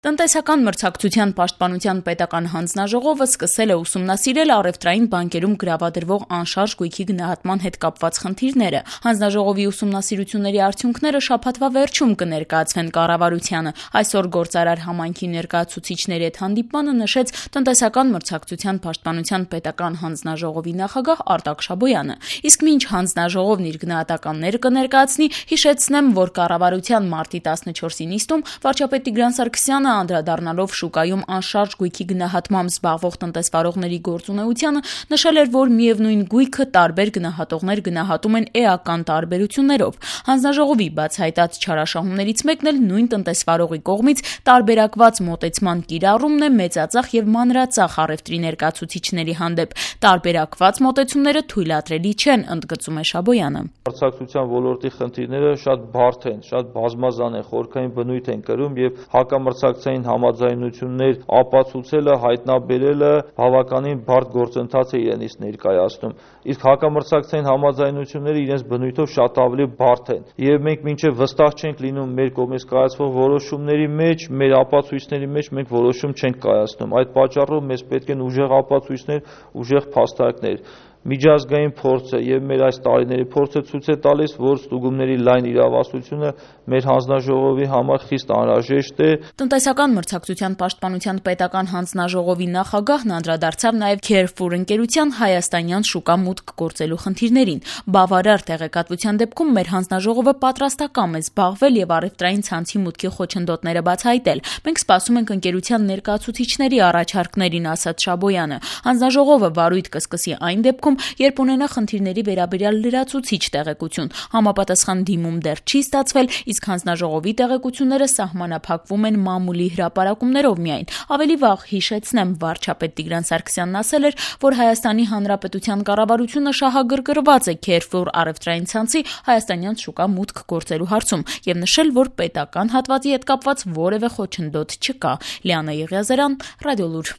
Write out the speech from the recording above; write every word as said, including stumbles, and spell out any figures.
Տնտեսական մրցակցության պաշտպանության պետական հանձնաժողովը սկսել է ուսումնասիրել առևտրային բանկերում գրավադրվող անշարժ գույքի գնահատման հետ կապված խնդիրները։ Հանձնաժողովի ուսումնասիրությունների արդյունքները շաբաթվա վերջում կներկայացվեն կառավարությանը։ Այսօր Գործարար համայնքի ներկայացուցիչների հետ հանդիպմանը նշեց տնտեսական մրցակցության պաշտպանության պետական հանձնաժողովի նախագահ Արտակ Շաբոյանը։ Իսկ մինչ հանձնաժողովն իր գնահատականները կներկայացնի, հիշեցնեմ, որ կառավարության մարտի տասնչորսի նիստում վարչապետ Տիգրան Սարգսյանը անդրադառնալով շուկայում անշարժ գույքի գնահատմամբ զբաղվող տնտեսվարողների գործունեությանը, նշել էր, որ միևնույն գույքը տարբեր գնահատողներ գնահատում են էական տարբերություններով։ Հանձնաժողովի բացահայտած չարաշահումներից մեկն էլ նույն տնտեսվարողի կողմից տարբերակված մոտեցման կիրառումն է մեծածախ եւ մանրածախ առևտրի ներկայացուցիչների հանդեպ։ Տարբերակված մոտեցումները թույլատրելի չեն, ընդգծում է Շաբոյանը։ Մրցակցության ոլորտի խնդիրները շատ բարդ են, շատ բազմազան են, խորքային բնույթ են կրում եւ հակամրցակցային համաձայնություններ ապացուցելը, հայտնաբերելը բավականին բարդ գործընթաց է իրենից ներկայացնում։ Իսկ հակամրցակցային համաձայնությունները իրենց բնույթով շատ ավելի բարդ են եւ մենք մինչեւ վստահ չենք լինում մեր կողմից կայացվող որոշումների մեջ, մեր ապացույցների մեջ մենք որոշում չենք կայացնում։ Այդ պատճառով մեզ պետք են ուժեղ ապացույցներ, ուժեղ փաստարկներ։ Միջազգային փորձը եւ մեր այս տարիների փորձը ցույց է տալիս, որ ստուգումների լայն իրավասությունը մեր հանձնաժողովի համար խիստ անհրաժեշտ է։ Տնտեսական մրցակցության պաշտպանության պետական հանձնաժողովի նախագահն անդրադարձավ նաեւ Carrefour ընկերության հայաստանյան շուկա մուտք գործելու խնդիրներին։ Բավարար տեղեկատվության դեպքում մեր հանձնաժողովը պատրաստական է զբաղվել եւ առևտրային ցանցի մուտքի խոչընդոտները բացահայտել։ Մենք սպասում ենք ընկերության ներկայացուցիչների առաջարկներին, ասաց Շաբոյանը։ Հանձնաժողովը վարույթ կսկսի այն դեպքում, երբ ունենա խնդիրների վերաբերյալ լրացուցիչ տեղեկություն։ Համապատասխան դիմում դեռ չի ստացվել, իսկ հանձնաժողովի տեղեկությունները սահմանափակվում են մամուլի հրապարակումներով միայն։ Ավելի վաղ հիշեցնեմ, վարչապետ Տիգրան Սարգսյանն ասել էր, որ Հայաստանի Հանրապետության կառավարությունը շահագրգռված է Carrefour առևտրային ցանցի հայաստանյան շուկա մուտք գործելու հարցում եւ նշել, որ պետական հատվածի հետ կապված որևէ խոչընդոտ չկա։ Լիանա Եղիազարյան, Ռադիոլուր։